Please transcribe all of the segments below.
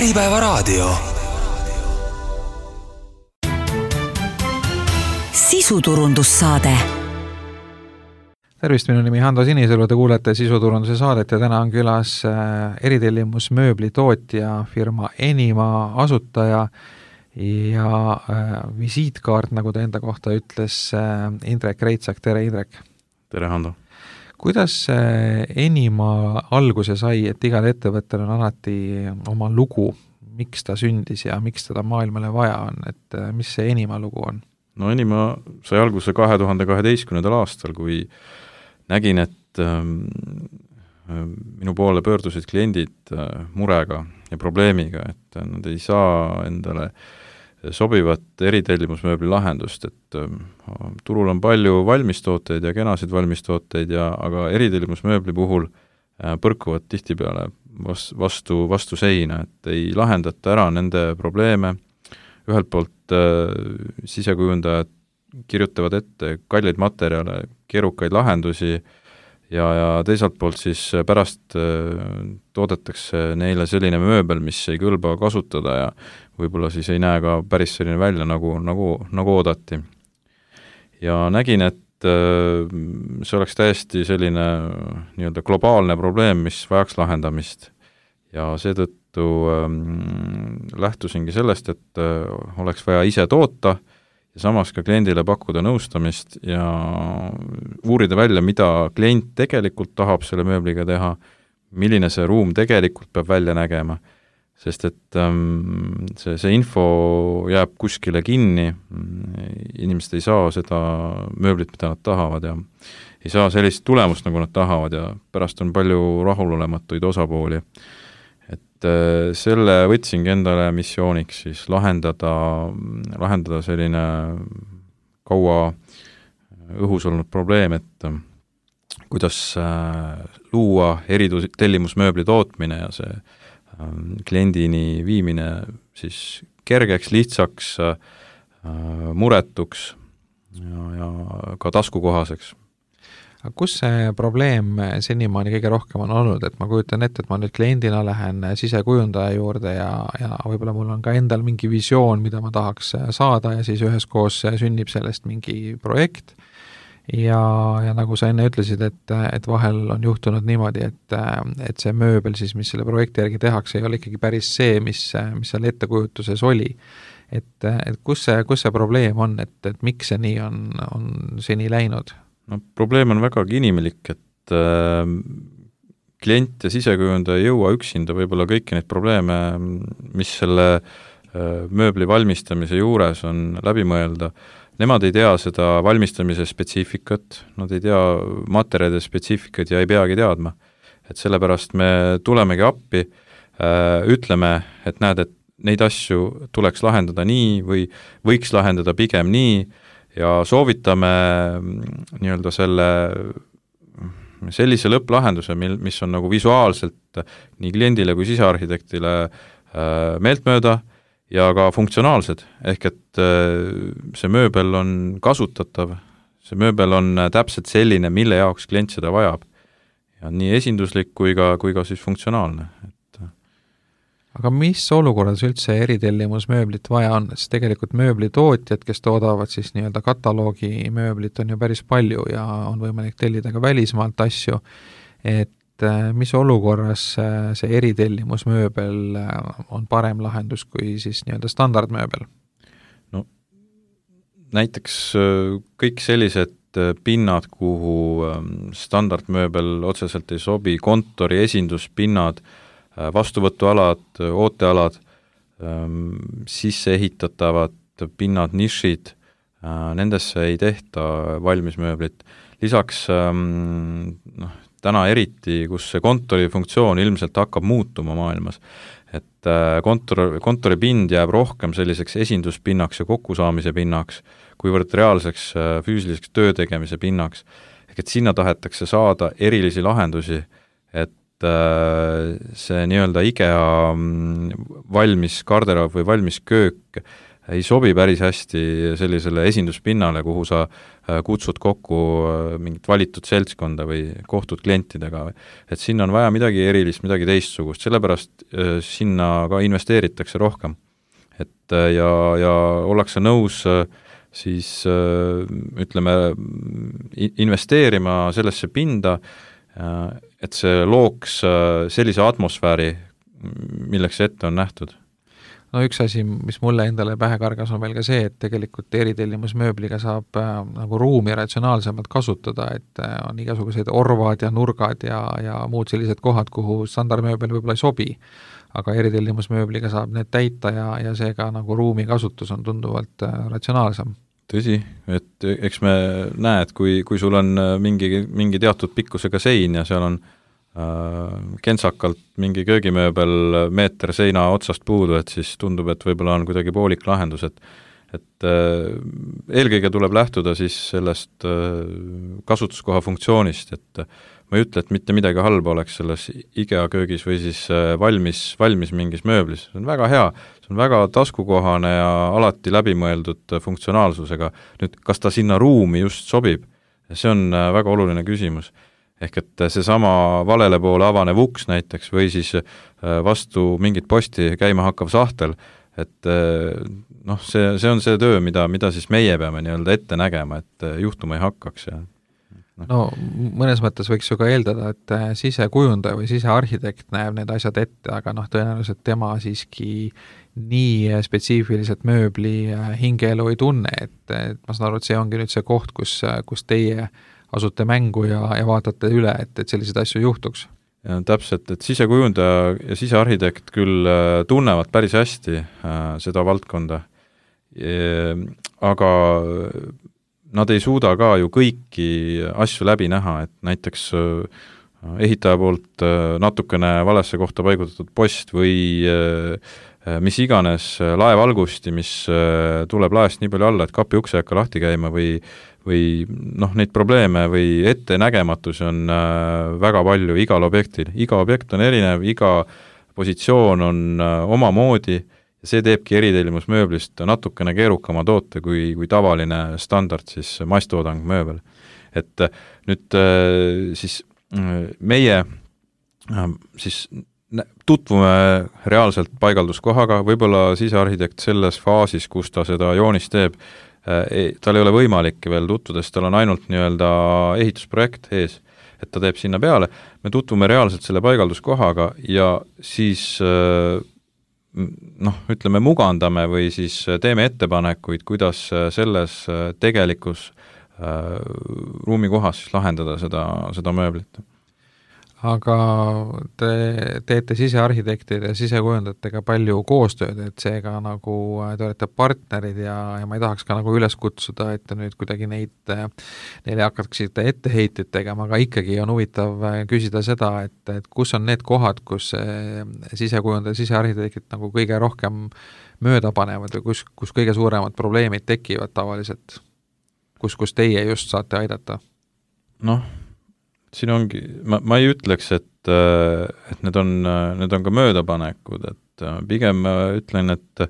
Äripäevaraadio. Sisuturundussaade. Tervist, minu nimi Hando Sinisalu, te kuulete sisuturunduse saadet ja täna on külas eritellimus mööblitootja firma Enima asutaja ja visiitkaart, nagu ta enda kohta ütles, Indrek Reitsak. Tere, Indrek! Tere, Hando! Kuidas Enima alguse sai, et igal ettevõttel on alati oma lugu, miks ta sündis ja miks teda maailmale vaja on, et mis see Enima lugu on? No Enima sai alguse 2012. aastal, kui nägin, et minu poole pöördusid kliendid murega ja probleemiga, et nad ei saa endale sobivat eritellimusmööbli lahendust, et turul on palju valmistooteid ja kenasid valmistooteid, aga eritellimusmööbli puhul põrkuvad tihtipeale vastu seina, et ei lahendata ära nende probleeme. Ühelt poolt sisekujundajad kirjutavad ette kalleid materjale, keerukaid lahendusi ja teisalt poolt siis pärast toodetakse neile selline mööbel, mis ei kõlba kasutada ja võib-olla siis ei näe ka päris selline välja, nagu oodati. Ja nägin, et see oleks täiesti selline nii-öelda globaalne probleem, mis vajaks lahendamist. Ja seetõttu lähtusingi sellest, et oleks vaja ise toota ja samas ka kliendile pakkuda nõustamist ja uurida välja, mida klient tegelikult tahab selle mööbliga teha, milline see ruum tegelikult peab välja nägema, sest et see info jääb kuskile kinni, inimesed ei saa seda mööblit, mida nad tahavad ja ei saa sellist tulemust, nagu nad tahavad ja pärast on palju rahulolematuid osapooli. Selle võtsingi endale missiooniks siis lahendada selline kaua õhus olnud probleem, et kuidas luua eritellimusmööbli tootmine ja see kliendini viimine siis kergeks, lihtsaks, muretuks ja ka taskukohaseks. Aga kus see probleem senimaani kõige rohkem on olnud, et ma kujutan ette, et ma nüüd kliendina lähen sisekujundaja juurde ja võib-olla mul on ka endal mingi visioon, mida ma tahaks saada ja siis üheskoos sünnib sellest mingi projekt ja nagu sa enne ütlesid, et vahel on juhtunud niimoodi, et see mööbel siis, mis selle projekti järgi tehakse, ei ole ikkagi päris see, mis seal ettekujutuses oli. Et kus see probleem on, et miks see nii on seni läinud? No, probleem on vägagi inimlik, et klient ja sisekujundaja ei jõua üksinda võib-olla kõiki neid probleeme, mis selle mööbli valmistamise juures on läbi mõelda. Nemad ei tea seda valmistamise spetsiifikat, nad ei tea materjalide spetsiifikat ja ei peagi teadma. Et sellepärast me tulemegi appi, ütleme, et näed, et neid asju tuleks lahendada nii või võiks lahendada pigem nii, ja soovitame nii-öelda sellise lõpplahenduse, mis on nagu visuaalselt nii kliendile kui sisearhitektile meeltmööda ja ka funktsionaalsed, ehk et see mööbel on kasutatav, see mööbel on täpselt selline, mille jaoks klient seda vajab ja nii esinduslik kui ka siis funktsionaalne. Aga mis olukorras üldse eritellimusmööblit vaja on, sest tegelikult mööblitootjad, kes toodavad siis nii-öelda kataloogi mööblit, on ju päris palju ja on võimalik tellida ka välismaalt asju, et mis olukorras see eritellimusmööbel on parem lahendus kui siis nii-öelda standardmööbel? No, näiteks kõik sellised pinnad, kuhu standardmööbel otseselt ei sobi, kontori esinduspinnad, vastuvõtualad, ootealad, sisse ehitatavad pinnad, nišid, nendesse ei tehta valmismööblit. Lisaks täna eriti, kus see kontori funktsioon ilmselt hakkab muutuma maailmas, et kontori pind jääb rohkem selliseks esinduspinnaks ja kokkusaamise pinnaks, kuivõrd reaalseks füüsiliseks töötegemise pinnaks. Ehk et sinna tahetakse saada erilisi lahendusi, et see nii-öelda IKEA valmis garderoob või valmis köök ei sobi päris hästi sellisele esinduspinnale, kuhu sa kutsud kokku mingit valitud seltskonda või kohtud klientidega. Et sinna on vaja midagi erilist, midagi teistsugust, sellepärast sinna ka investeeritakse rohkem. Et ja ollakse nõus siis ütleme investeerima sellesse pinda, et see looks sellise atmosfääri, milleks see ette on nähtud. No üks asi, mis mulle endale pähe kargas, on veel ka see, et tegelikult eritellimusmööbliga saab nagu ruumi ratsionaalsemalt kasutada, et on igasugused orvad ja nurgad ja muud sellised kohad, kuhu standardmööbel võib-olla ei sobi. Aga eritellimusmööbliga saab need täita ja seega nagu ruumi kasutus on tunduvalt ratsionaalsem. Tõsi, et eks me näe, et kui sul on mingi teatud pikkusega sein ja seal on kentsakalt mingi köögimööbel meeter seina otsast puudu, et siis tundub, et võib-olla on kuidagi poolik lahendus, et eelkõige tuleb lähtuda siis sellest kasutuskoha funktsioonist, et ma ei ütle, et mitte midagi halba oleks selles IKEA köögis või siis valmis mingis mööblis, see on väga hea, see on väga taskukohane ja alati läbimõeldud funktsionaalsusega. Nüüd, kas ta sinna ruumi just sobib, see on väga oluline küsimus. Ehk et seesama valele poole avanev uks näiteks või siis vastu mingit posti käima hakkav sahtel, et see on see töö, mida siis meie peame nii-öelda ette nägema, et juhtuma ei hakkaks. Ja. No mõnes mõttes võiks ju ka eeldada, et sisekujundaja või sisearhitekt näeb need asjad ette, aga tõenäoliselt tema siiski nii spetsiifiliselt mööbli hingeelu ei tunne, et ma saan aru, et see ongi nüüd see koht, kus teie asute mängu ja vaatate üle, et selliseid asju juhtuks. Ja, täpselt, et sisekujundaja ja sisearhitekt küll tunnevad päris hästi seda valdkonda, aga nad ei suuda ka ju kõiki asju läbi näha, et näiteks ehitaja poolt natukene valesse kohta paigutatud post või mis iganes laevalgusti, mis tuleb laest nii palju alla, et kapi ukse hakka lahti käima või neid probleeme või ettenägematusi on väga palju igal objektil. Iga objekt on erinev, iga positsioon on omamoodi ja see teebki eritellimusmööblist natukene keerukama toote kui tavaline standard siis masstoodang mööbel. Et nüüd siis meie siis tutvume reaalselt paigalduskohaga, võib-olla sisearhitekt selles faasis, kus ta seda joonist teeb, tal ei ole võimalik veel tutvuda, sest tal on ainult nii-öelda ehitusprojekt ees, et ta teeb sinna peale. Me tutvume reaalselt selle paigalduskohaga ja siis ütleme mugandame või siis teeme ettepanekuid, kuidas selles tegelikus ruumikohas lahendada seda mööblit. Aga te teete sisearhitektide ja sisekujundajatega palju koostööd, et seega nagu te olete partnerid ja ma ei tahaks ka nagu üles kutsuda, et te nüüd kuidagi neile hakkaksite etteheited tegema, aga ikkagi on huvitav küsida seda, et kus on need kohad, kus sisekujundaja ja sisearhitektid nagu kõige rohkem mööda panevad või kus kõige suuremad probleemid tekivad tavaliselt, kus teie just saate aidata? Siin ongi, ma ei ütleks, et need on ka möödapanekud, et pigem ütlen, et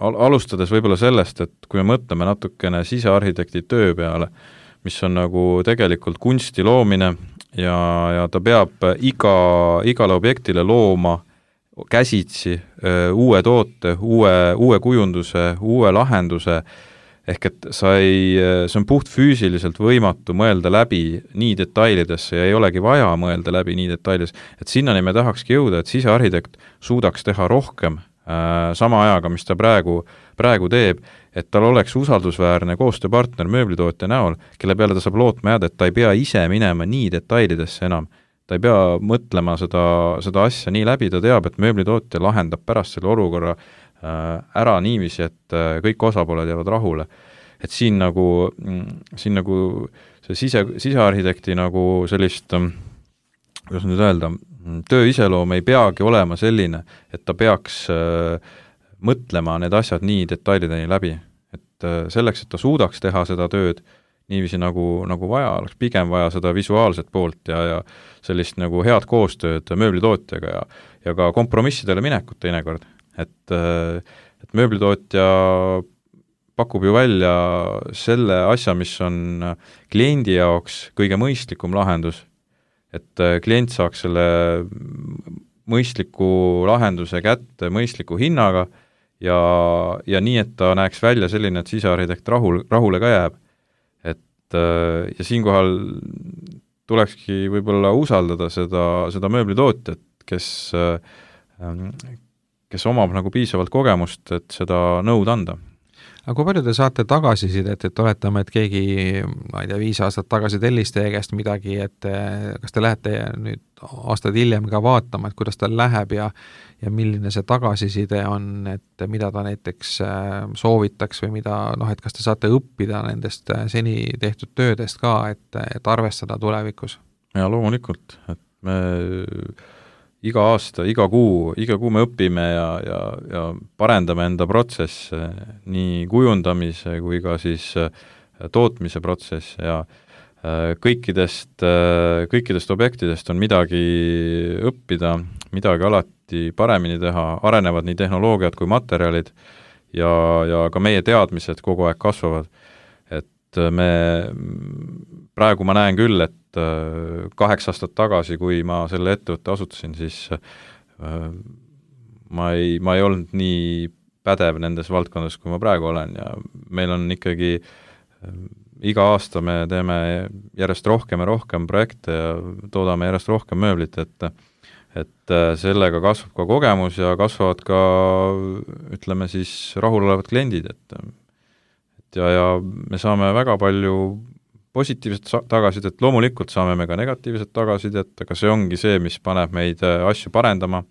alustades võib-olla sellest, et kui me mõtleme natukene sisearhitekti töö peale, mis on nagu tegelikult kunsti loomine ja ta peab igale objektile looma käsitsi uue toote, uue kujunduse, uue lahenduse, ehk et see on puht füüsiliselt võimatu mõelda läbi nii detailidesse ja ei olegi vaja mõelda läbi nii detailides, et sinnani me tahakski jõuda, et sisearhitekt suudaks teha rohkem sama ajaga, mis ta praegu teeb, et tal oleks usaldusväärne koostööpartner mööblitootja näol, kelle peale ta saab lootma jääda, et ta ei pea ise minema nii detailidesse enam. Ta ei pea mõtlema seda asja nii läbi, ta teab, et mööblitootja lahendab pärast selle olukorra ära niiviisi, et kõik osapooled jäävad rahule. Et siin nagu see sisearhitekti nagu sellist, kuidas nüüd öelda, töö iseloom ei peagi olema selline, et ta peaks mõtlema need asjad nii detailideni läbi. Et selleks, et ta suudaks teha seda tööd niiviisi nagu vaja, oleks pigem vaja seda visuaalset poolt ja sellist nagu head koostööd mööblitootjaga ja ka kompromissidele minekut teinekord. et mööblitootja pakub ju välja selle asja, mis on kliendi jaoks kõige mõistlikum lahendus, et klient saaks selle mõistliku lahenduse kätte mõistliku hinnaga ja nii, et ta näeks välja selline, et sisearhitekt rahule ka jääb. Ja siinkohal tulekski võib-olla usaldada seda mööblitootjat, kes omab nagu piisavalt kogemust, et seda nõud anda. Aga kui palju te saate tagasisidet, et oletame, et keegi, ma ei tea, 5 aastat tagasi tellis teie käest midagi, et kas te lähete nüüd aastaid hiljem ka vaatama, et kuidas tal läheb ja milline see tagasiside on, et mida ta näiteks soovitaks või mida, et kas te saate õppida nendest seni tehtud töödest ka, et arvestada tulevikus? Ja loomulikult, et me iga aasta, iga kuu me õpime ja parendame enda protsesse, nii kujundamise kui ka siis tootmise protsess ja kõikidest objektidest on midagi õppida, midagi alati paremini teha, arenevad nii tehnoloogiad kui materjalid ja ka meie teadmised kogu aeg kasvavad. Et praegu ma näen küll, et 8 aastat tagasi, kui ma selle ettevõtte asutasin, siis ma ei olnud nii pädev nendes valdkondades, kui ma praegu olen ja meil on ikkagi iga aasta me teeme järjest rohkem ja rohkem projekte ja toodame järjest rohkem mööblit, et sellega kasvab ka kogemus ja kasvavad ka, ütleme siis, rahulolevad kliendid, ja me saame väga palju positiivset tagasisidet, loomulikult saame me ka negatiivset tagasisidet, aga see ongi see, mis paneb meid asju parendama.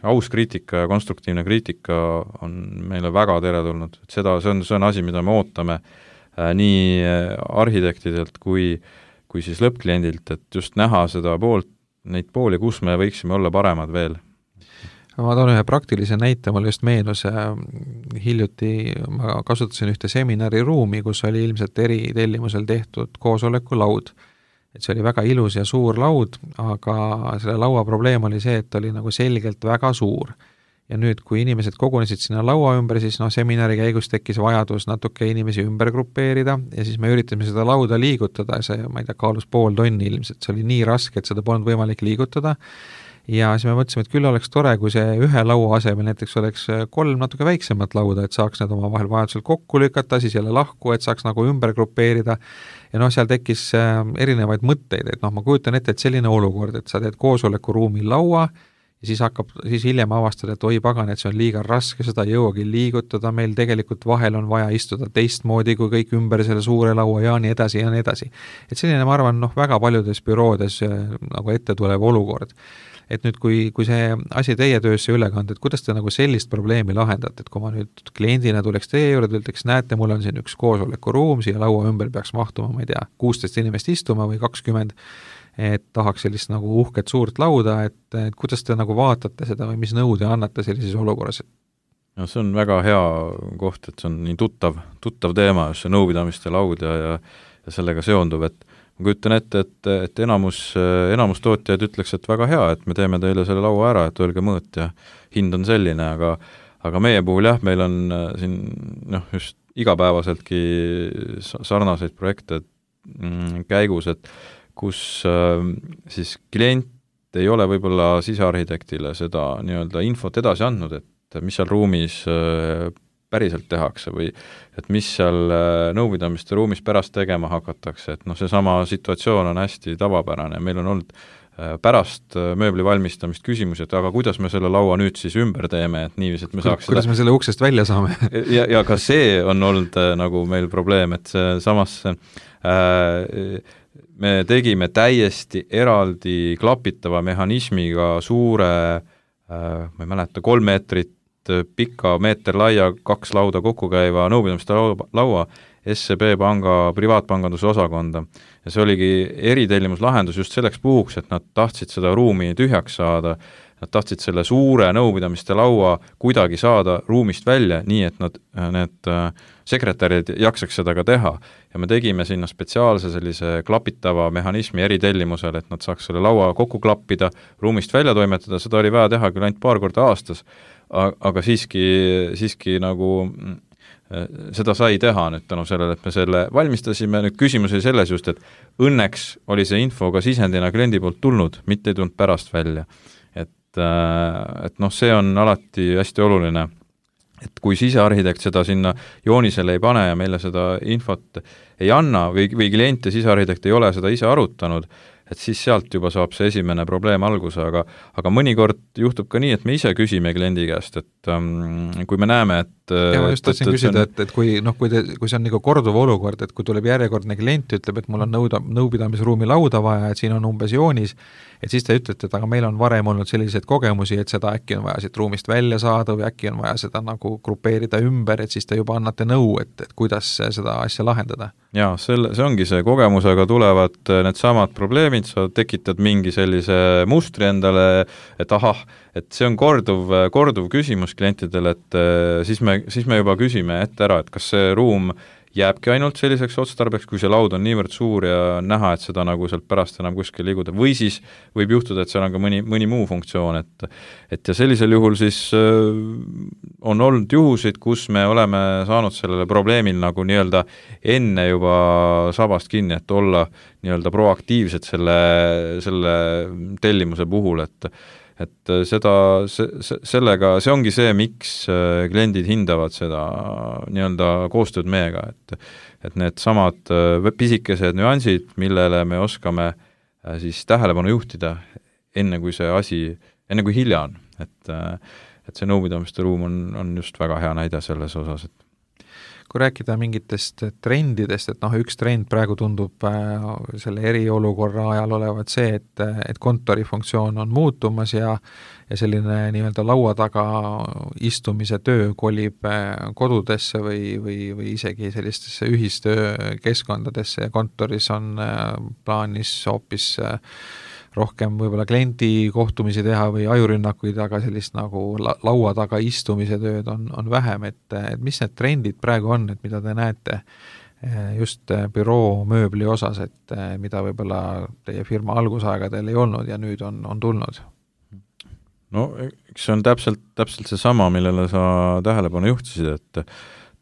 Aus kriitika ja konstruktiivne kriitika on meile väga teretulnud. See on asi, mida me ootame nii arhitektidelt kui siis lõppkliendilt, et just näha neid pooli, kus me võiksime olla paremad veel. Ma toon ühe praktilise näite, mulle just meenus, hiljuti ma kasutasin ühte seminariruumi, kus oli ilmselt eritellimusel tehtud koosolekulaud. Et see oli väga ilus ja suur laud, aga selle laua probleem oli see, et oli nagu selgelt väga suur. Ja nüüd, kui inimesed kogunesid sinna laua ümber, siis seminari käigus tekkis vajadus natuke inimesi ümber grupeerida ja siis me üritasime seda lauda liigutada ja see, ma ei tea, kaalus 0,5 tonni ilmselt, see oli nii raske, et seda polnud võimalik liigutada. Ja siis me mõtlesime, et küll oleks tore, kui see ühe laua asemel näiteks oleks 3 natuke väiksemat lauda, et saaks need oma vahel vajadusel kokku lükata, siis jälle lahku, et saaks nagu ümber grupeerida. Ja seal tekkis erinevaid mõtteid, et ma kujutan ette, et selline olukord, et sa teed koosolekuruumi laua ja siis hiljem avastad, et oi pagan, et see on liiga raske, seda ei jõuagi liigutada, meil tegelikult vahel on vaja istuda teistmoodi kui kõik ümber selle suure laua ja nii edasi ja nii edasi. Et selline, ma arvan, väga paljudes büroodes nagu ette tulev olukord. Et nüüd, kui see asi teie töösse üle kanda, et kuidas te nagu sellist probleemi lahendate, et kui ma nüüd kliendina tuleks teie juurde, ütleks, näete, mul on siin üks koosolekuruum, siia laua ümber peaks mahtuma, ma ei tea, 16 inimest istuma või 20, et tahaks sellist nagu uhket suurt lauda, et kuidas te nagu vaatate seda või mis nõude annate sellises olukorras? No see on väga hea koht, et see on nii tuttav teema, see nõupidamiste laud ja sellega seonduv, et ma kujutan ette, et enamus tootjaid ütleks, et väga hea, et me teeme teile selle laua ära, et öelge mõõt ja hind on selline, aga meie puhul jah, meil on siin just igapäevaseltki sarnaseid projekte käigus, et kus siis klient ei ole võib-olla sisearhitektile seda nii-öelda infot edasi andnud, et mis seal ruumis päriselt tehakse või et mis seal nõupidamiste ruumis pärast tegema hakatakse, et seesama situatsioon on hästi tavapärane, meil on olnud pärast mööbli valmistamist küsimusi, et aga kuidas me selle laua nüüd siis ümber teeme, et niiviisi, et me saaks kuidas me selle uksest välja saame? ja ka see on olnud nagu meil probleem, et samas me tegime täiesti eraldi klapitava mehhanismiga suure, ma ei mäleta, 3 meetrit pika, meeter laia, 2 lauda kokku käiva nõupidamiste laua SEB panga privaatpanganduse osakonda. Ja see oligi eritellimuslahendus just selleks puhuks, et nad tahtsid seda ruumi tühjaks saada, nad tahtsid selle suure nõupidamiste laua kuidagi saada ruumist välja, nii et need sekretärid jaksaks seda ka teha. Ja me tegime sinna spetsiaalse sellise klapitava mehhanismi eritellimusel, et nad saaks selle laua kokku klappida, ruumist välja toimetada, seda oli vaja teha küll ainult paar korda aastas, aga siiski nagu seda sai teha nüüd tänu sellele, et me selle valmistasime. Nüüd küsimus oli selles just, et õnneks oli see info ka sisendina kliendi poolt tulnud, mitte ei tulnud pärast välja. Et see on alati hästi oluline, et kui sisearhitekt seda sinna joonisele ei pane ja meile seda infot ei anna või klient ja sisearhitekt ei ole seda ise arutanud, et siis sealt juba saab see esimene probleem alguse, aga mõnikord juhtub ka nii, et me ise küsime kliendi käest, et kui me näeme, et ja ma just tahtsin küsida, et kui see on nagu korduv olukord, et kui tuleb järjekordne klient, ütleb, et mul on nõupidamisruumi lauda vaja, et siin on umbes joonis, et siis te ütlete, et aga meil on varem olnud selliseid kogemusi, et seda äkki on vaja siit ruumist välja saada või äkki on vaja seda nagu grupeerida ümber, et siis te juba annate nõu, et kuidas seda asja lahendada. Jaa, see ongi see kogemusega tulevad need samad probleemid, sa tekitad mingi sellise mustri endale, et ahah, et see on korduv küsimus klientidele, et siis me juba küsime ette ära, et kas see ruum jääbki ainult selliseks otstarbeks, kui see laud on niivõrd suur ja näha, et seda nagu sealt pärast enam kuskil liiguda, või siis võib juhtuda, et seal on ka mõni muu funktsioon, et ja sellisel juhul siis on olnud juhusid, kus me oleme saanud sellele probleemil nagu nii-öelda enne juba sabast kinni, et olla nii-öelda proaktiivsed selle tellimuse puhul, et sellega, see ongi see, miks kliendid hindavad seda nii-öelda koostööd meiega, et need samad pisikesed nüansid, millele me oskame siis tähelepanu juhtida enne kui hilja on, et see nõupidamiste ruum on just väga hea näide selles osas, et kui rääkida mingitest trendidest, et üks trend praegu tundub selle eriolukorra ajal olevat see, et kontori funktsioon on muutumas ja selline nii-öelda laua taga istumise töö kolib kodudesse või isegi sellistesse ühistöökeskkondadesse ja kontoris on plaanis hoopis rohkem võib-olla kliendi kohtumisi teha või ajurünnakuid, aga sellist nagu laua taga istumise tööd on vähem, et mis need trendid praegu on, et mida te näete just büroo mööbli osas, et mida võib-olla teie firma algusaegadel ei olnud ja nüüd on tulnud? No eks see on täpselt see sama, millele sa tähelepanu juhtisid, et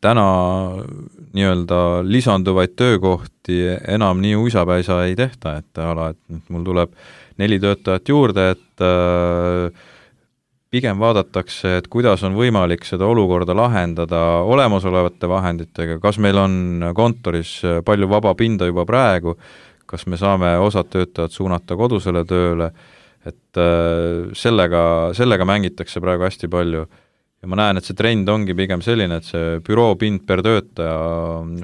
täna nii-öelda lisanduvaid töökohti enam nii uisapäisa ei tehta, et mul tuleb 4 töötajat juurde, et pigem vaadatakse, et kuidas on võimalik seda olukorda lahendada olemasolevate vahenditega, kas meil on kontoris palju vaba pinda juba praegu, kas me saame osad töötajad suunata kodusele tööle, et sellega mängitakse praegu hästi palju. Ja ma näen, et see trend ongi pigem selline, et see büroo pind per töötaja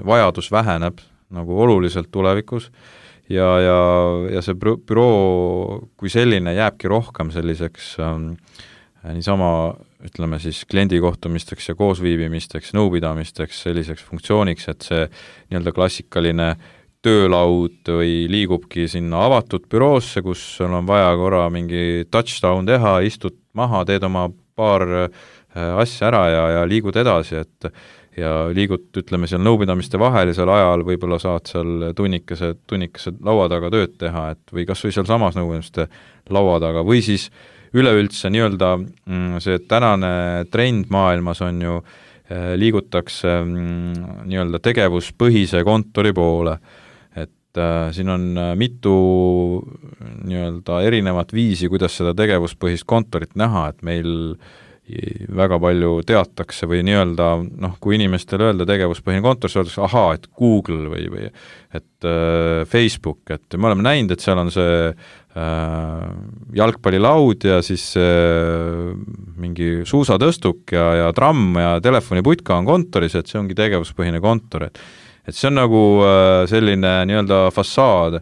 vajadus väheneb nagu oluliselt tulevikus ja see büroo kui selline jääbki rohkem selliseks niisama, ütleme siis kliendikohtumisteks ja koosviibimisteks, nõupidamisteks, selliseks funktsiooniks, et see nii-öelda klassikaline töölaud või liigubki sinna avatud büroosse, kus sul on vaja korra mingi touchdown teha, istud maha, teed oma paar asja ära ja liigud edasi, ja liigud, ütleme, seal nõupidamiste vahelisel ajal võib-olla saad seal tunnikese laua taga tööd teha, et või kas või seal samas nõupidamiste laua taga, või siis üleüldse nii-öelda see tänane trend maailmas on ju, liigutakse nii-öelda tegevuspõhise kontori poole, et siin on mitu nii-öelda erinevat viisi, kuidas seda tegevuspõhist kontorit näha, et meil väga palju teatakse või nii-öelda, kui inimestele öelda tegevuspõhine kontor, siis öeldakse, ahaa, et Google või et Facebook, et me oleme näinud, et seal on see jalgpallilaud ja siis mingi suusatõstuk ja tramm ja telefoniputka on kontoris, et see ongi tegevuspõhine kontor, et see on nagu selline nii-öelda fassaad,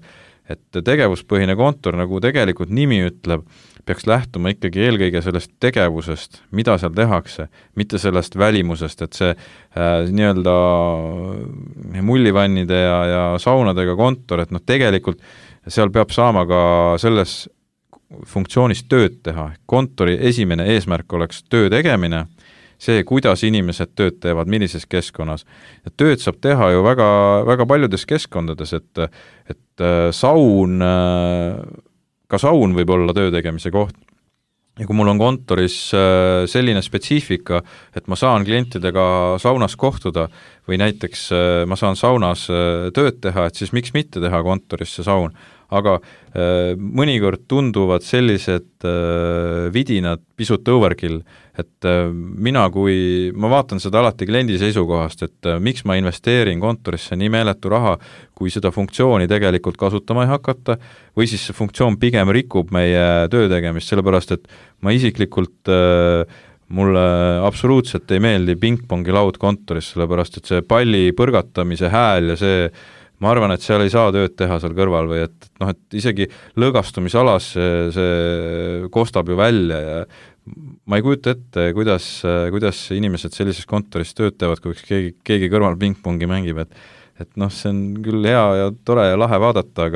et tegevuspõhine kontor, nagu tegelikult nimi ütleb, peaks lähtuma ikkagi eelkõige sellest tegevusest, mida seal tehakse, mitte sellest välimusest, et see nii-öelda mullivannide ja saunadega kontor, et tegelikult seal peab saama ka selles funktsioonis tööd teha. Kontori esimene eesmärk oleks töö tegemine, see, kuidas inimesed tööd teevad, millises keskkonnas. Ja tööd saab teha ju väga, väga paljudes keskkondades, et saun, ka saun võib olla töö tegemise koht. Ja kui mul on kontoris selline spetsiifika, et ma saan klientidega saunas kohtuda või näiteks ma saan saunas tööd teha, et siis miks mitte teha kontoris see saun. Aga mõnikord tunduvad sellised vidinad pisut overkill, et ma vaatan seda alati kliendi seisukohast, et miks ma investeerin kontorisse nii meeletu raha, kui seda funktsiooni tegelikult kasutama ei hakata, või siis see funktsioon pigem rikub meie töö tegemist, sellepärast et ma isiklikult mulle absoluutselt ei meeldi pingpongi laud kontoris, sellepärast et see palli põrgatamise hääl ja see ma arvan, et seal ei saa tööd teha seal kõrval või et isegi lõõgastumisalas see kostab ju välja ja ma ei kujuta ette, kuidas inimesed sellises kontoris tööd teevad, kui keegi kõrval pingpongi mängib, et see on küll hea ja tore ja lahe vaadata,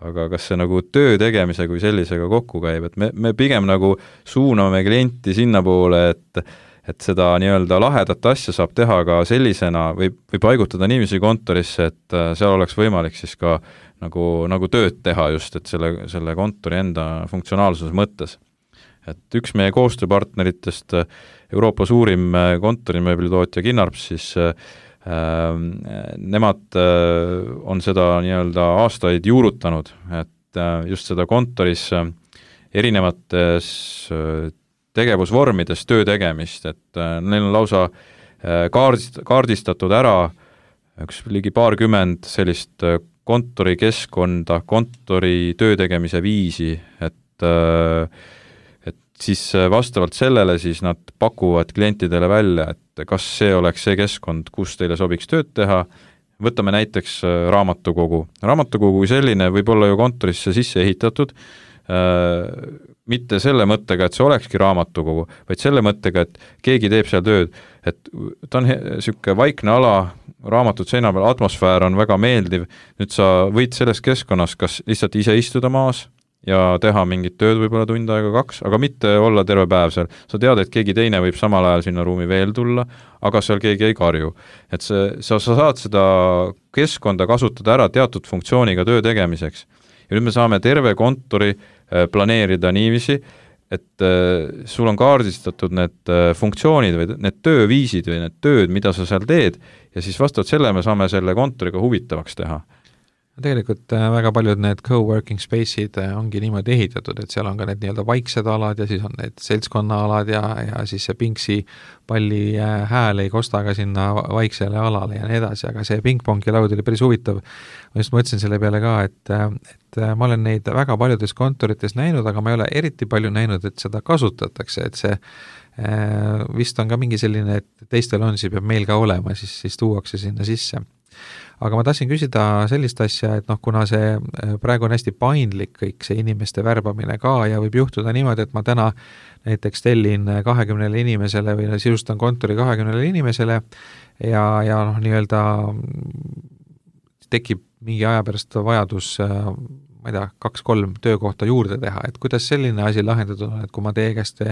aga kas see nagu töö tegemise kui sellisega kokku käib, et me pigem nagu suuname klienti sinna poole, et seda nii-öelda lahedat asja saab teha ka sellisena või paigutada niiviisi kontorisse, et seal oleks võimalik siis ka nagu tööd teha just, et selle kontori enda funktsionaalsuse mõttes. Et üks meie koostööpartneritest, Euroopa suurim kontorimööblitootja Kinnarps, siis nemad on seda nii-öelda aastaid juurutanud, et just seda kontoris erinevates tegevusvormides töö tegemist, et neil on lausa kaardistatud ära üks ligi paarkümmend sellist kontorikeskkonda, kontori töö tegemise viisi, et siis vastavalt sellele siis nad pakuvad klientidele välja, et kas see oleks see keskkond, kus teile sobiks tööd teha. Võtame näiteks raamatukogu. Raamatukogu kui selline võib olla ju kontorisse sisse ehitatud, mitte selle mõttega, et see olekski raamatukogu, vaid selle mõttega, et keegi teeb seal tööd, et ta on niisugune vaikne ala, raamatud seina peal, atmosfäär on väga meeldiv, nüüd sa võid selles keskkonnas kas lihtsalt ise istuda maas ja teha mingit tööd võib-olla tund aega 2, aga mitte olla terve päev seal. Sa tead, et keegi teine võib samal ajal sinna ruumi veel tulla, aga seal keegi ei karju. Et sa saad seda keskkonda kasutada ära teatud funktsiooniga töö tegemiseks. Ja nüüd me saame terve kontori planeerida niiviisi, et sul on kaardistatud need funktsioonid või need tööviisid või need tööd, mida sa seal teed, ja siis vastavalt selle me saame selle kontoriga huvitavaks teha. Tegelikult väga paljud need co-working space'id ongi niimoodi ehitatud, et seal on ka need nii-öelda vaiksed alad ja siis on need seltskonnaalad ja siis see pingsi palli hääl ei kosta ka sinna vaiksele alale ja nii edasi, aga see pingpongi laud oli päris huvitav. Ma just mõtlesin selle peale ka, et ma olen neid väga paljudes kontorites näinud, aga ma ei ole eriti palju näinud, et seda kasutatakse, et see vist on ka mingi selline, et teistel on, siis peab meil ka olema, siis tuuakse sinna sisse. Aga ma tahtsin küsida sellist asja, et kuna see praegu on hästi paindlik kõik see inimeste värbamine ka ja võib juhtuda niimoodi, et ma täna näiteks tellin 20 inimesele või sisustan kontori 20 inimesele ja nii-öelda tekib mingi aja pärast vajadus, ma ei tea, 2-3 töökohta juurde teha, et kuidas selline asi lahendatud on, et kui ma teie käest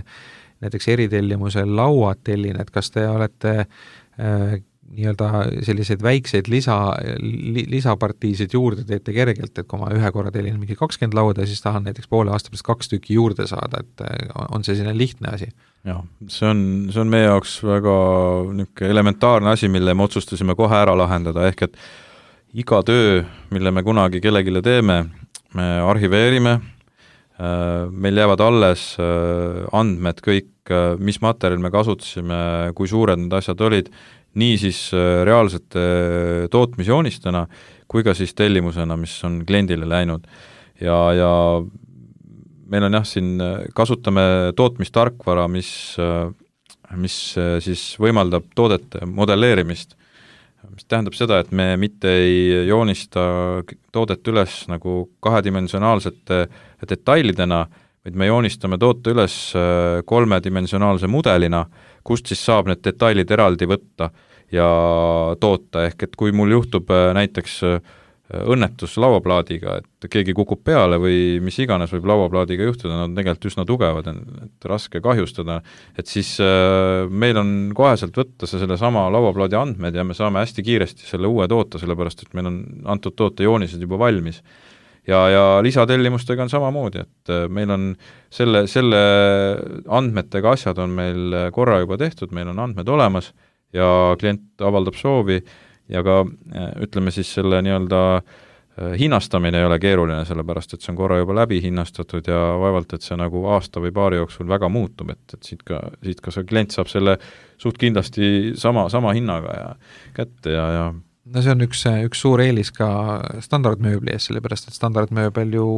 näiteks eritellimusel lauad tellin, et kas te olete nii-öelda selliseid väikseid lisapartiisid juurde teete kergelt, et kui ma ühe korra tellin mingi 20 lauda, siis tahan näiteks poole aasta pärast 2 tükki juurde saada, et on see selline lihtne asi? Jah, see on meie jaoks väga elementaarne asi, mille me otsustasime kohe ära lahendada, ehk et iga töö, mille me kunagi kellegile teeme, me arhiveerime, meil jäävad alles andmed kõik, mis materjal me kasutasime, kui suured need asjad olid, nii siis reaalsete tootmisjoonistena kui ka siis tellimusena, mis on kliendile läinud. Ja meil on siin kasutame tootmistarkvara, mis siis võimaldab toodete modelleerimist, mis tähendab seda, et me mitte ei joonista toodet üles nagu kahedimensionaalsete detailidena, vaid me joonistame toote üles 3-dimensionaalse mudelina, kust siis saab need detailid eraldi võtta ja toota, ehk et kui mul juhtub näiteks õnnetus lauaplaadiga, et keegi kukub peale või mis iganes võib lauaplaadiga juhtuda, nad on tegelikult üsna tugevad, et raske kahjustada, et siis meil on koheselt võtta selle sama lauaplaadi andmed ja me saame hästi kiiresti selle uue toota, sellepärast et meil on antud toote joonised juba valmis. Ja lisatellimustega on samamoodi, et meil on selle andmetega asjad on meil korra juba tehtud, meil on andmed olemas ja klient avaldab soovi ja ka ütleme siis selle nii-öelda hinnastamine ei ole keeruline, sellepärast et see on korra juba läbi hinnastatud ja vaevalt, et see nagu aasta või paari jooksul väga muutub, et siit ka see klient saab selle suht kindlasti sama hinnaga ja kätte ja no see on üks suur eelis ka standardmööbli ees, sellepärast et standardmööbel ju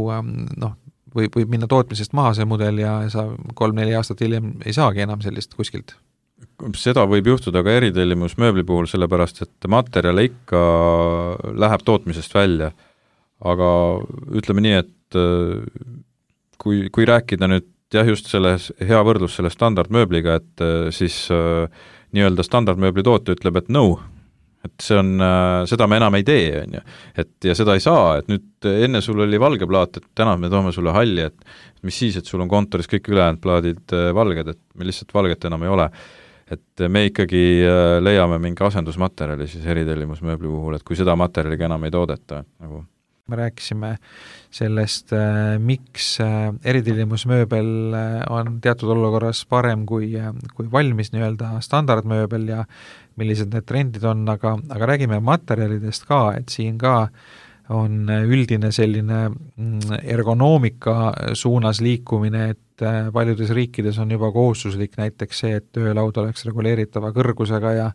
võib minna tootmisest maha see mudel ja sa 3-4 aastat hiljem ei saagi enam sellist kuskilt. Seda võib juhtuda ka eritellimus mööbli puhul, sellepärast et materjal ikka läheb tootmisest välja. Aga ütleme nii, et kui rääkida nüüd just selles hea võrdlus selle standardmööbliga, et siis nii-öelda standardmööbli tootja ütleb, et no, et see on, seda me enam ei tee, on ju. Ja seda ei saa, et nüüd enne sul oli valge plaat, et täna me toome sulle halli, et mis siis, et sul on kontoris kõik ülejäänud plaadid valged, et meil lihtsalt valget enam ei ole. Et me ikkagi leiame mingi asendusmaterjali siis eritellimusmööbli puhul, et kui seda materjaliga enam ei toodeta. Nagu. Me rääkisime sellest, miks eritellimusmööbel on teatud olukorras parem kui valmis nii-öelda standardmööbel ja millised need trendid on, aga räägime materjalidest ka, et siin ka on üldine selline ergonoomika suunas liikumine, et paljudes riikides on juba kohustuslik näiteks see, et töölaud oleks reguleeritava kõrgusega ja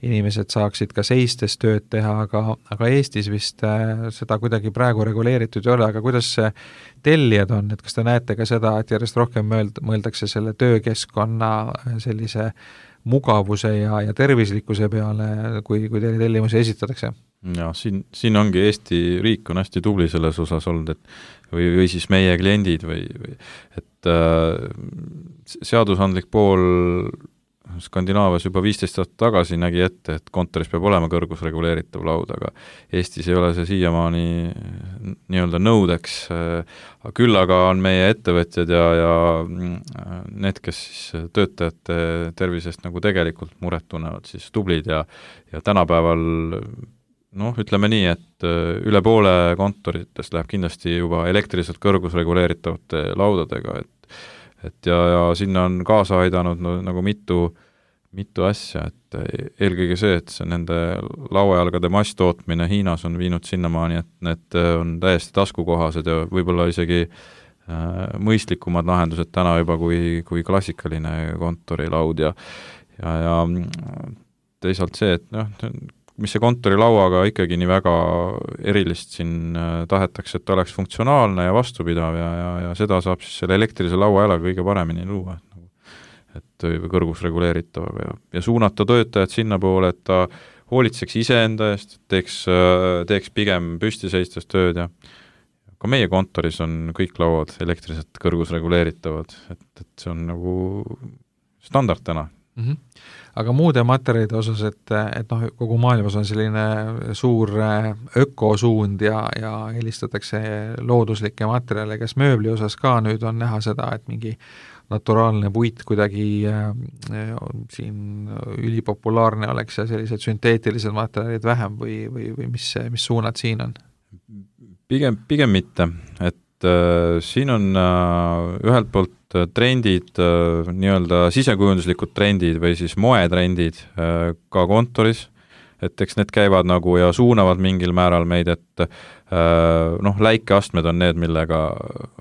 inimesed saaksid ka seistes tööd teha, aga Eestis vist seda kuidagi praegu reguleeritud ei ole, aga kuidas see tellijad on, et kas te näete ka seda, et järjest rohkem mõeldakse selle töökeskkonna sellise mugavuse ja tervislikkuse peale, kui teile tellimusi esitatakse? Ja siin ongi Eesti riik on hästi tubli selles osas olnud, et või siis meie kliendid et seadusandlik pool Skandinaavias juba 15 aastat tagasi nägi ette, et kontoris peab olema kõrgusreguleeritav laud, aga Eestis ei ole see siiamaani nii-öelda nõudeks, küll aga on meie ettevõtjad ja need, kes siis töötajate tervisest nagu tegelikult muret tunnevad, siis tublid ja tänapäeval ütleme nii, et üle poole kontoritest läheb kindlasti juba elektriliselt kõrgusreguleeritavate laudadega, et ja sinna on kaasa aidanud nagu mitu asja, et eelkõige see, et see nende lauajalgade masstootmine Hiinas on viinud sinnamaani, et need on täiesti taskukohased ja võib-olla isegi mõistlikumad lahendused täna juba kui klassikaline kontorilaud ja teisalt see, et mis see kontorilauaga ikkagi nii väga erilist siin tahetakse, et ta oleks funktsionaalne ja vastupidav ja seda saab siis selle elektrilise lauajalaga kõige paremini luua, et kõrgusreguleeritav ja suunata töötajad sinna poole, et ta hoolitseks iseenda eest, teeks pigem püstiseistes tööd ja ka meie kontoris on kõik lauad elektriliselt kõrgusreguleeritavad, et see on nagu standard täna. Aga muude materjalide osas, et kogu maailmas on selline suur ökosuund ja eelistatakse looduslikke materjale, kas mööbli osas ka nüüd on näha seda, et mingi naturaalne puit kuidagi siin ülipopulaarne oleks ja sellised sünteetilised materjalid vähem või mis suunad siin on? Pigem mitte, et siin on ühelt poolt trendid, nii-öelda sisekujunduslikud trendid või siis moetrendid ka kontoris, et eks need käivad nagu ja suunavad mingil määral meid, et läikeastmed on need, millega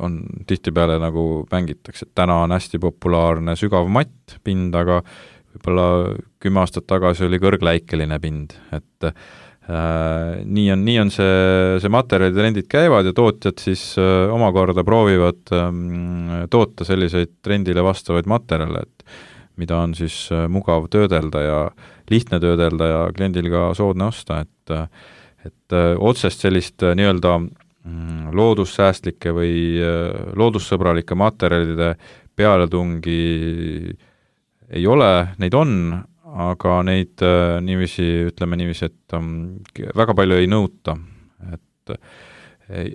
on tihtipeale nagu mängitakse, et täna on hästi populaarne sügav matt pind, aga võib-olla 10 aastat tagasi oli kõrgläikeline pind, et nii on see materjalitrendid käivad ja tootjad siis omakorda proovivad toota selliseid trendile vastavaid materjale, et mida on siis mugav töödelda ja lihtne töödelda ja kliendil ka soodne osta, et otsest sellist nii-öelda loodussäästlike või loodussõbralike materjalide pealetungi ei ole, neid on, aga neid ütleme niiviisi, et väga palju ei nõuta, et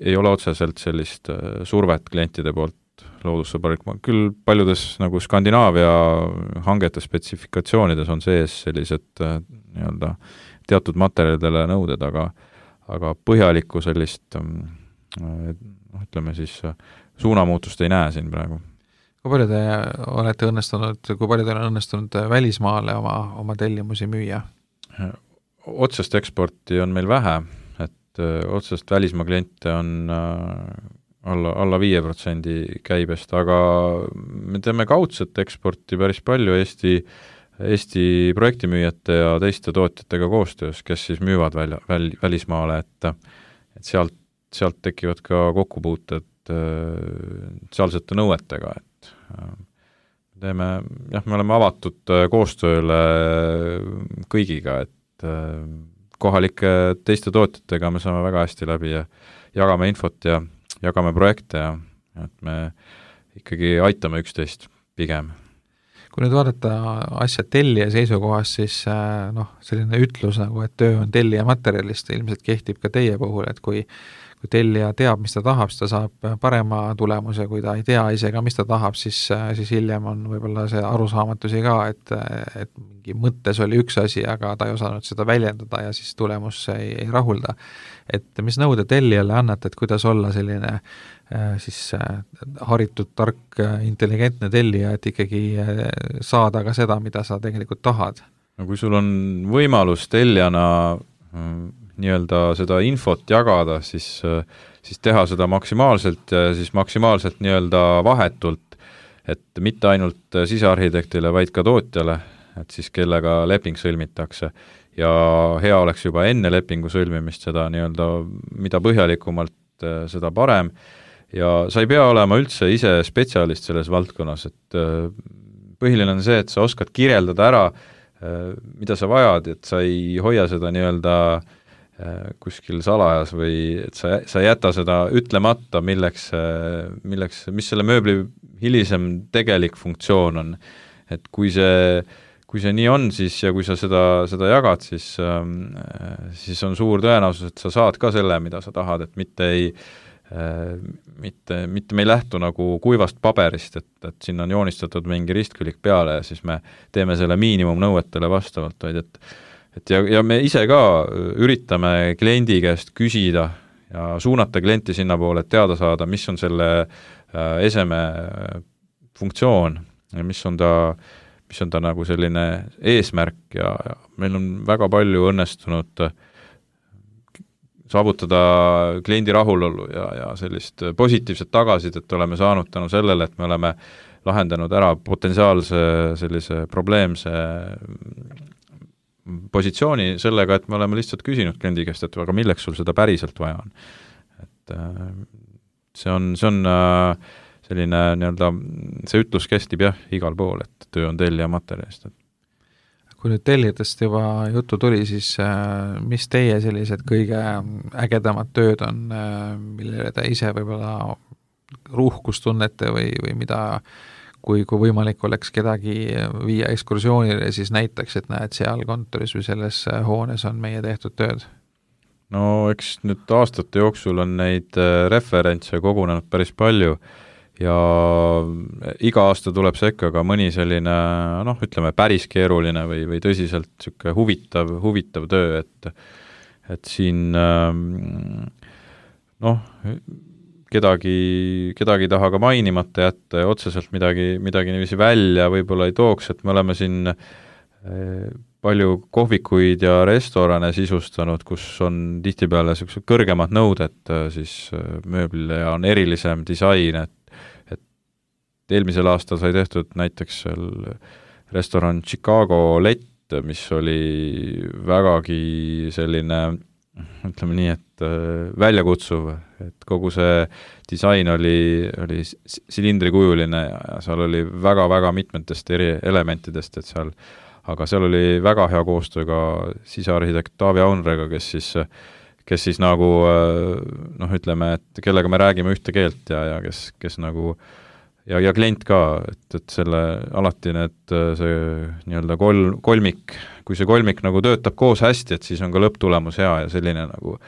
ei ole otseselt sellist survet klientide poolt loodussõbralik, küll paljudes nagu Skandinaavia hangete spetsifikatsioonides on sees sellised nii-öelda teatud materjalidele nõuded, aga põhjalikku sellist ütleme siis suunamuutust ei näe siin praegu. Kui palju kui palju teil on õnnestunud välismaale oma tellimusi müüa? Otsest eksporti on meil vähe, et otsest välismaa kliente on alla 5% käibest, aga me teeme kaudset eksporti päris palju Eesti projektimüüjate ja teiste tootjatega koostöös, kes siis müüvad välismaale, et sealt tekivad ka kokkupuuted sealsete nõuetega, et me oleme avatud koostööle kõigiga, et kohalike teiste tootjatega me saame väga hästi läbi ja jagame infot ja jagame projekte ja et me ikkagi aitame üksteist pigem. Kui nüüd vaadata asja tellija seisukohast, siis selline ütlus nagu, et töö on tellija materjalist, ilmselt kehtib ka teie puhul, et kui tellija teab, mis ta tahab, siis ta saab parema tulemuse, kui ta ei tea isegi, mis ta tahab, siis hiljem on võib-olla see arusaamatusi ka, et mingi mõttes oli üks asi, aga ta ei osanud seda väljendada ja siis tulemus ei rahulda. Et mis nõude tellijale annate, et kuidas olla selline haritud, tark, intelligentne tellija, et ikkagi saada ka seda, mida sa tegelikult tahad? No kui sul on võimalus tellijana nii-öelda seda infot jagada, siis teha seda maksimaalselt ja siis maksimaalselt nii-öelda vahetult, et mitte ainult sisearhitektile, vaid ka tootjale, et siis kellega leping sõlmitakse. Ja hea oleks juba enne lepingu sõlmimist seda nii-öelda, mida põhjalikumalt, seda parem. Ja sa ei pea olema üldse ise spetsialist selles valdkonnas, et põhiline on see, et sa oskad kirjeldada ära, mida sa vajad, et sa ei hoia seda nii-öelda kuskil salajas või et sa jäta seda ütlemata, mis selle mööbli hilisem tegelik funktsioon on. Et kui see nii on, siis ja kui sa seda jagad, siis on suur tõenäosus, et sa saad ka selle, mida sa tahad, et mitte me ei lähtu nagu kuivast paberist, et siin on joonistatud mingi ristkülik peale ja siis me teeme selle miinimumnõuetele vastavalt, vaid ja me ise ka üritame kliendi käest küsida ja suunata klienti sinna poole, et teada saada, mis on selle eseme funktsioon ja mis on ta nagu selline eesmärk ja meil on väga palju õnnestunud saavutada kliendi rahulolu ja sellist positiivset tagasisidet oleme saanud tänu sellele, et me oleme lahendanud ära potentsiaalse sellise probleemse positsiooni sellega, et me oleme lihtsalt küsinud kliendi käest, et aga milleks sul seda päriselt vaja on. Et see on selline nii-öelda, see ütlus kestib igal pool, et töö on tellija materjalist. Kui nüüd tellijatest juba juttu tuli, siis mis teie sellised kõige ägedamad tööd on, millele te ise võib-olla ruhkust tunnete või mida kui võimalik oleks kedagi viia ekskursioonile, siis näitaks, et näed, seal kontoris või selles hoones on meie tehtud tööd? No eks nüüd aastate jooksul on neid referentse kogunenud päris palju ja iga aasta tuleb sekka ka mõni selline, ütleme päris keeruline või tõsiselt siuke huvitav töö, et siin kedagi taha ka mainimata jätta ja otseselt midagi niiviisi välja võib-olla ei tooks, et me oleme siin palju kohvikuid ja restorane sisustanud, kus on tihtipeale sellised kõrgemad nõuded siis mööblile ja on erilisem disain, et eelmisel aastal sai tehtud näiteks restoran Chicago Lett, mis oli vägagi selline, ütleme nii, et väljakutsuv, et kogu see disain oli silindrikujuline ja seal oli väga-väga mitmetest eri elementidest, et aga seal oli väga hea koostöö ka sisearhitekt Taavi Aunrega, kes siis nagu ütleme, et kellega me räägime ühte keelt ja kes nagu ja klient ka, et selle alati see nii-öelda kolmik, kui see kolmik nagu töötab koos hästi, et siis on ka lõpptulemus hea ja selline nagu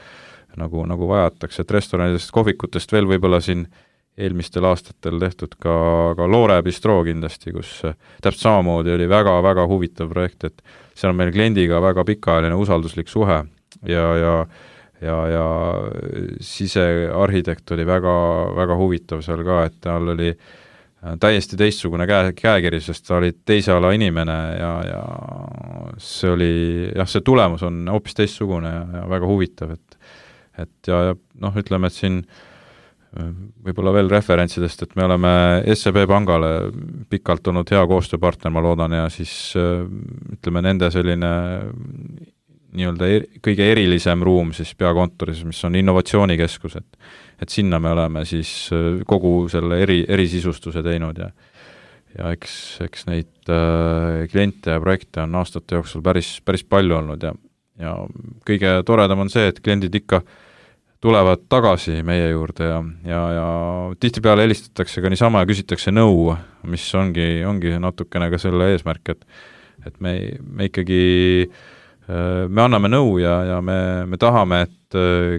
nagu vajatakse, et restoranidest, kohvikutest veel võib-olla siin eelmistel aastatel tehtud ka Loore Bistro kindlasti, kus täpselt samamoodi oli väga-väga huvitav projekt, et seal on meil kliendiga väga pikaajaline usalduslik suhe ja sisearhitekt oli väga huvitav seal ka, et tal oli täiesti teistsugune käekiri, sest ta oli teise ala inimene ja see oli, see tulemus on hoopis teistsugune ja väga huvitav, et noh, ütleme, et siin võib-olla veel referentsidest, et me oleme SEB pangale pikalt olnud hea koostööpartner, ma loodan, ja siis ütleme, nende selline nii-öelda kõige erilisem ruum siis peakontoris, mis on innovatsioonikeskus, et sinna me oleme siis kogu selle erisisustuse teinud ja eks neid kliente ja projekte on aastate jooksul päris palju olnud ja kõige toredam on see, et kliendid ikka tulevad tagasi meie juurde ja tihtipeale helistatakse ka niisama ja küsitakse nõu, mis ongi natukene ka selle eesmärk, et me ikkagi me anname nõu ja me tahame, et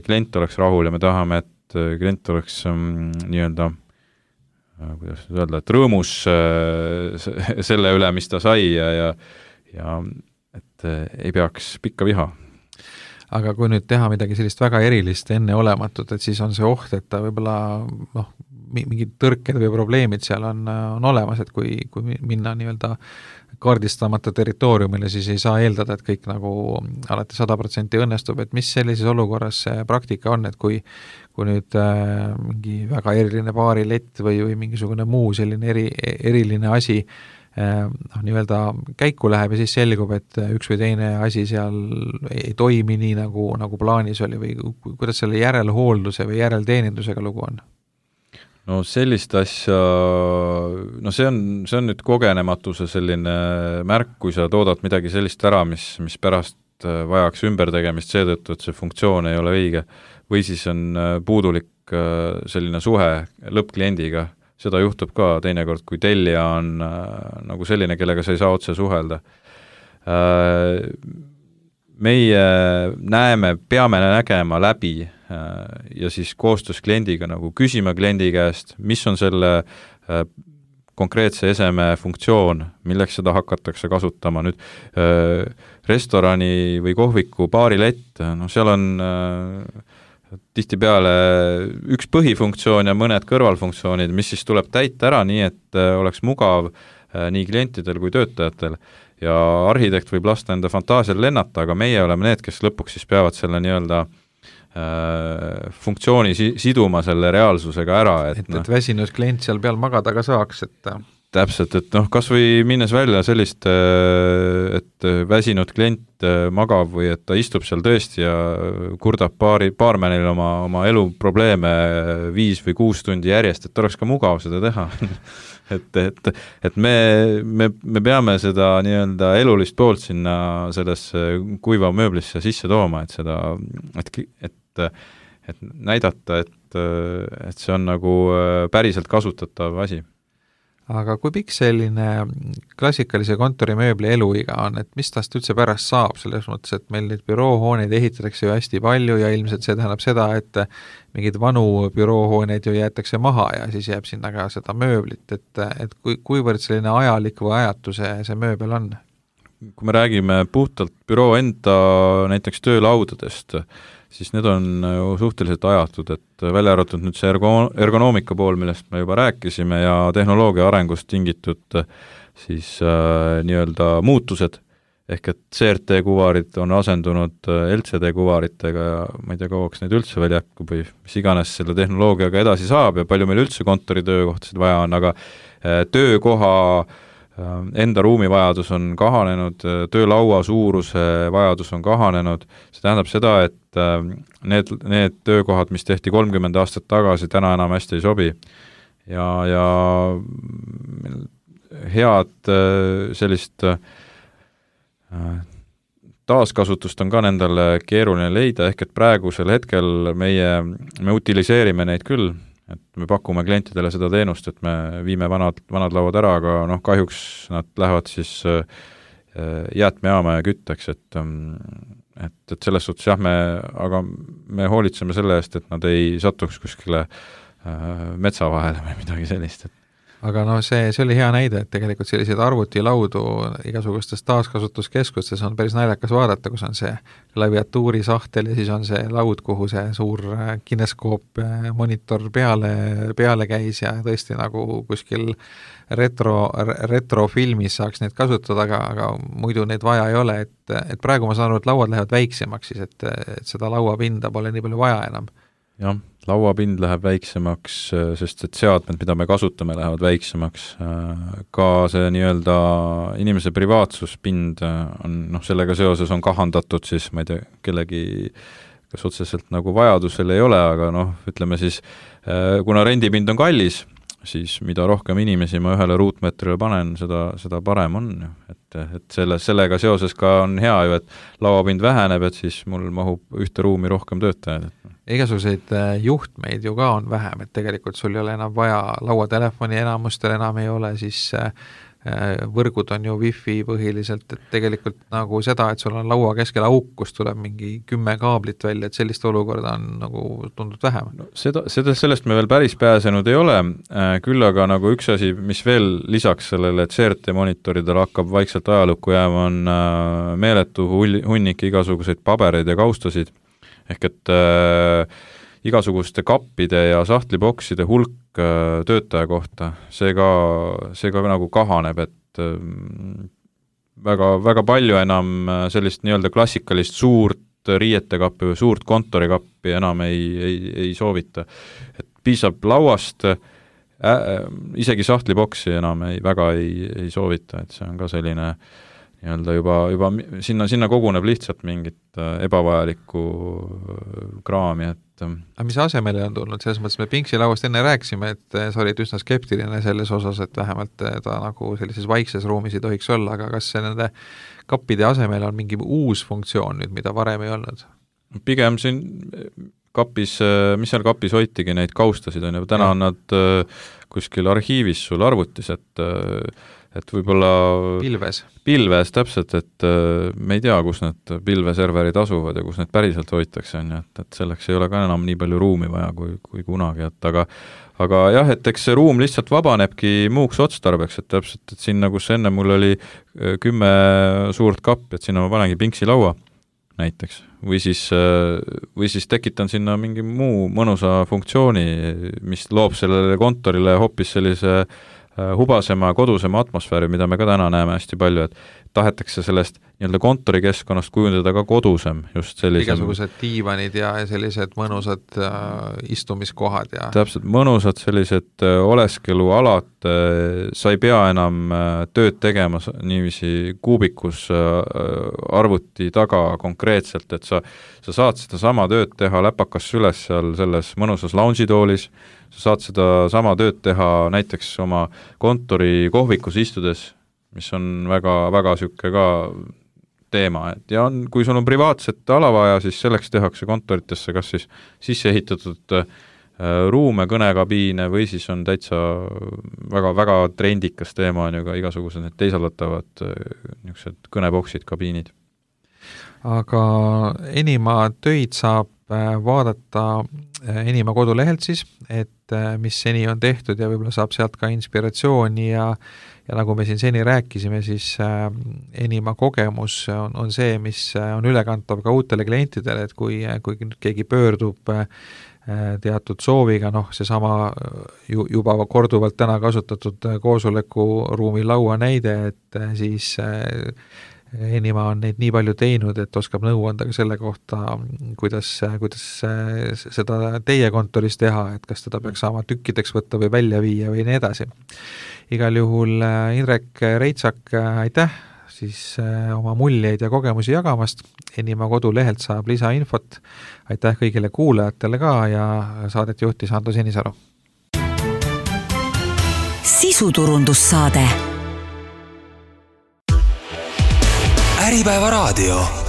klient oleks rahul ja me tahame, et klient oleks nii-öelda, kuidas öelda, et rõõmus selle üle, mis ta sai ja et ei peaks pikka viha. Aga kui nüüd teha midagi sellist väga erilist enneolematut, et siis on see oht, et ta võib-olla mingid tõrked või probleemid seal on olemas, et kui minna nii-öelda kaardistamata territooriumile, siis ei saa eeldada, et kõik nagu alati 100% õnnestub, et mis sellises olukorras see praktika on, et kui nüüd mingi väga eriline baarilett või mingisugune muu selline eriline asi nii-öelda käiku läheb ja siis selgub, et üks või teine asi seal ei toimi nii, nagu plaanis oli või kuidas selle järelhoolduse või järelteenindusega lugu on? No sellist asja, see on nüüd kogenematuse selline märk, kui sa toodad midagi sellist ära, mis pärast vajaks ümbertegemist seetõttu, et see funktsioon ei ole õige, või siis on puudulik selline suhe lõppkliendiga. Seda juhtub ka teinekord, kui tellija on nagu selline, kellega sa ei saa otse suhelda. Meie peame nägema läbi ja siis koostöös kliendiga nagu küsima kliendi käest, mis on selle konkreetse eseme funktsioon, milleks seda hakatakse kasutama. Nüüd restorani või kohviku baarilett, seal on tihtipeale üks põhifunktsioon ja mõned kõrvalfunktsioonid, mis siis tuleb täita ära nii, et oleks mugav nii klientidel kui töötajatel. Ja arhitekt võib lasta enda fantaasial lennata, aga meie oleme need, kes lõpuks siis peavad selle nii-öelda funktsiooni siduma selle reaalsusega ära. Et väsinud klient seal peal magada ka saaks, et täpselt, et kas või minnes välja sellist, et väsinud klient magab või et ta istub seal tõesti ja kurdab baarmenil oma elu probleeme 5 või 6 tundi järjest, et oleks ka mugav seda teha. et me peame seda nii-öelda elulist poolt sinna sellesse kuiva mööblisse sisse tooma, et näidata, et see on nagu päriselt kasutatav asi. Aga kui pikk selline klassikalise kontorimööbli eluiga on, et mis tast üldse pärast saab, selles mõttes, et meil neid büroohooneid ehitatakse ju hästi palju ja ilmselt see tähendab seda, et mingid vanu büroohooneid ju jäetakse maha ja siis jääb sinna ka seda mööblit, et kuivõrd selline ajalik või ajatu see mööbel on? Kui me räägime puhtalt büroo enda näiteks töölaudadest, siis need on ju suhteliselt ajatud, et välja arvatud nüüd see ergonoomika pool, millest me juba rääkisime ja tehnoloogia arengust tingitud siis nii-öelda muutused, ehk et CRT-kuvarid on asendunud LCD-kuvaritega ja ma ei tea, kauaks neid üldse veel jätkub või mis iganes selle tehnoloogiaga edasi saab ja palju meil üldse kontoritöökohtasid vaja on, aga töökoha enda ruumivajadus on kahanenud, töölaua suuruse vajadus on kahanenud, see tähendab seda, et need töökohad, mis tehti 30 aastat tagasi, täna enam hästi ei sobi ja head sellist taaskasutust on ka nendele keeruline leida, ehk et praegusel hetkel me utiliseerime neid küll, et me pakume klientidele seda teenust, et me viime vanad lauad ära, aga kahjuks nad lähevad siis jäätmejaama ja kütteks, et selles suhtes jah, aga me hoolitseme selle eest, et nad ei satuks kuskile metsa vahele või midagi sellist. Aga see oli hea näide, et tegelikult selliseid arvutilaudu igasugustes taaskasutuskeskustes on päris naljakas vaadata, kus on see klaviatuuri sahtel ja siis on see laud, kuhu see suur kineskoop monitor peale käis ja tõesti nagu kuskil retrofilmis saaks neid kasutada, aga muidu neid vaja ei ole, et praegu ma saan aru, et lauad lähevad väiksemaks siis, et seda lauapinda pole nii palju vaja enam. Jah, lauapind läheb väiksemaks, sest et seadmed, mida me kasutame, lähevad väiksemaks. Ka see nii-öelda inimese privaatsuspind on, sellega seoses on kahandatud siis, ma ei tea, kellegi kas otseselt nagu vajadusel ei ole, aga ütleme siis, kuna rendipind on kallis, siis mida rohkem inimesi ma ühele ruutmeetrile panen, seda parem on. Et sellega seoses ka on hea ju, et lauapind väheneb, et siis mul mahub ühte ruumi rohkem töötajaid. Igasuguseid juhtmeid ju ka on vähem, et tegelikult sul ei ole enam vaja lauatelefoni, enamustel enam ei ole, siis võrgud on ju wifi põhiliselt, et tegelikult nagu seda, et sul on laua keskel auk, kus tuleb mingi 10 kaablit välja, et sellist olukorda on nagu tundnud vähem. Sellest me veel päris pääsenud ei ole, küll aga nagu üks asi, mis veel lisaks sellele, et CRT monitoridel hakkab vaikselt ajalukku jääma, on meeletu hunnik igasuguseid pabereid ja kaustasid, ehk et igasuguste kappide ja sahtlibokside hulk töötaja kohta, see ka nagu kahaneb, et väga, väga palju enam sellist nii-öelda klassikalist suurt riietekappi või suurt kontorikappi enam ei soovita. Et piisab lauast, isegi sahtliboksi enam väga ei soovita, et see on ka selline nii-öelda juba sinna koguneb lihtsalt mingit ebavajalikku kraami, et aga mis asemele on tulnud? Selles mõttes me Pinksi lauast enne rääkisime, et sa olid üsna skeptiline selles osas, et vähemalt ta nagu sellises vaikses ruumis ei tohiks olla, aga kas nende kappide asemele on mingi uus funktsioon nüüd, mida varem ei olnud? Pigem siin kapis, mis seal kapis hoitigi neid kaustasid, on ju, täna on nad kuskil arhiivis sul arvutis, et võib-olla pilves täpselt, et me ei tea, kus need pilveserverid asuvad ja kus need päriselt hoitakse, on ju, et selleks ei ole ka enam nii palju ruumi vaja kui kunagi, et aga jah, et eks see ruum lihtsalt vabanebki muuks otstarbeks, et täpselt, et sinna, kus enne mul oli 10 suurt kappi, et sinna ma panengi Pinksi laua näiteks, või siis tekitan sinna mingi muu mõnusa funktsiooni, mis loob sellele kontorile hoopis sellise hubasema, kodusema atmosfääri, mida me ka täna näeme hästi palju, et tahetakse sellest nii-öelda kontorikeskkonnast kujundada ka kodusem, just sellisem. Igasugused diivanid ja sellised mõnusad istumiskohad ja täpselt, mõnusad sellised oleskelualad, sa ei pea enam tööd tegema niiviisi kuubikus arvuti taga konkreetselt, et sa saad seda sama tööd teha läpakas süles seal selles mõnusas loungeitoolis, sa saad seda sama tööd teha näiteks oma kontori kohvikus istudes, mis on väga, väga sükke ka teema, et ja kui sul on privaatset ala vaja, siis selleks tehakse kontoritesse kas siis sisse ehitatud ruume, kõnekabiine või siis on täitsa väga, väga trendikas teema on ju ka igasugused need teisaldatavad niisugused kõneboksid, kabiinid. Aga Enima töid saab vaadata Enima kodulehelt siis, et mis seni on tehtud ja võib-olla saab sealt ka inspiratsiooni ja nagu me siin seni rääkisime, siis Enima kogemus on see, mis on ülekantav ka uutele klientidele, et kui keegi pöördub teatud sooviga, seesama juba korduvalt täna kasutatud koosolekuruumi laua näide, et siis Enima on neid nii palju teinud, et oskab nõu anda ka selle kohta, kuidas seda teie kontoris teha, et kas teda peaks saama tükkideks võtta või välja viia või nii edasi. Igal juhul Indrek Reitsak, aitäh siis oma muljeid ja kogemusi jagamast. Enima kodulehelt saab lisainfot. Aitäh kõigile kuulajatele ka ja saadet juhtis Ando Sinisalu. Sisuturundussaade. Äripäeva raadio.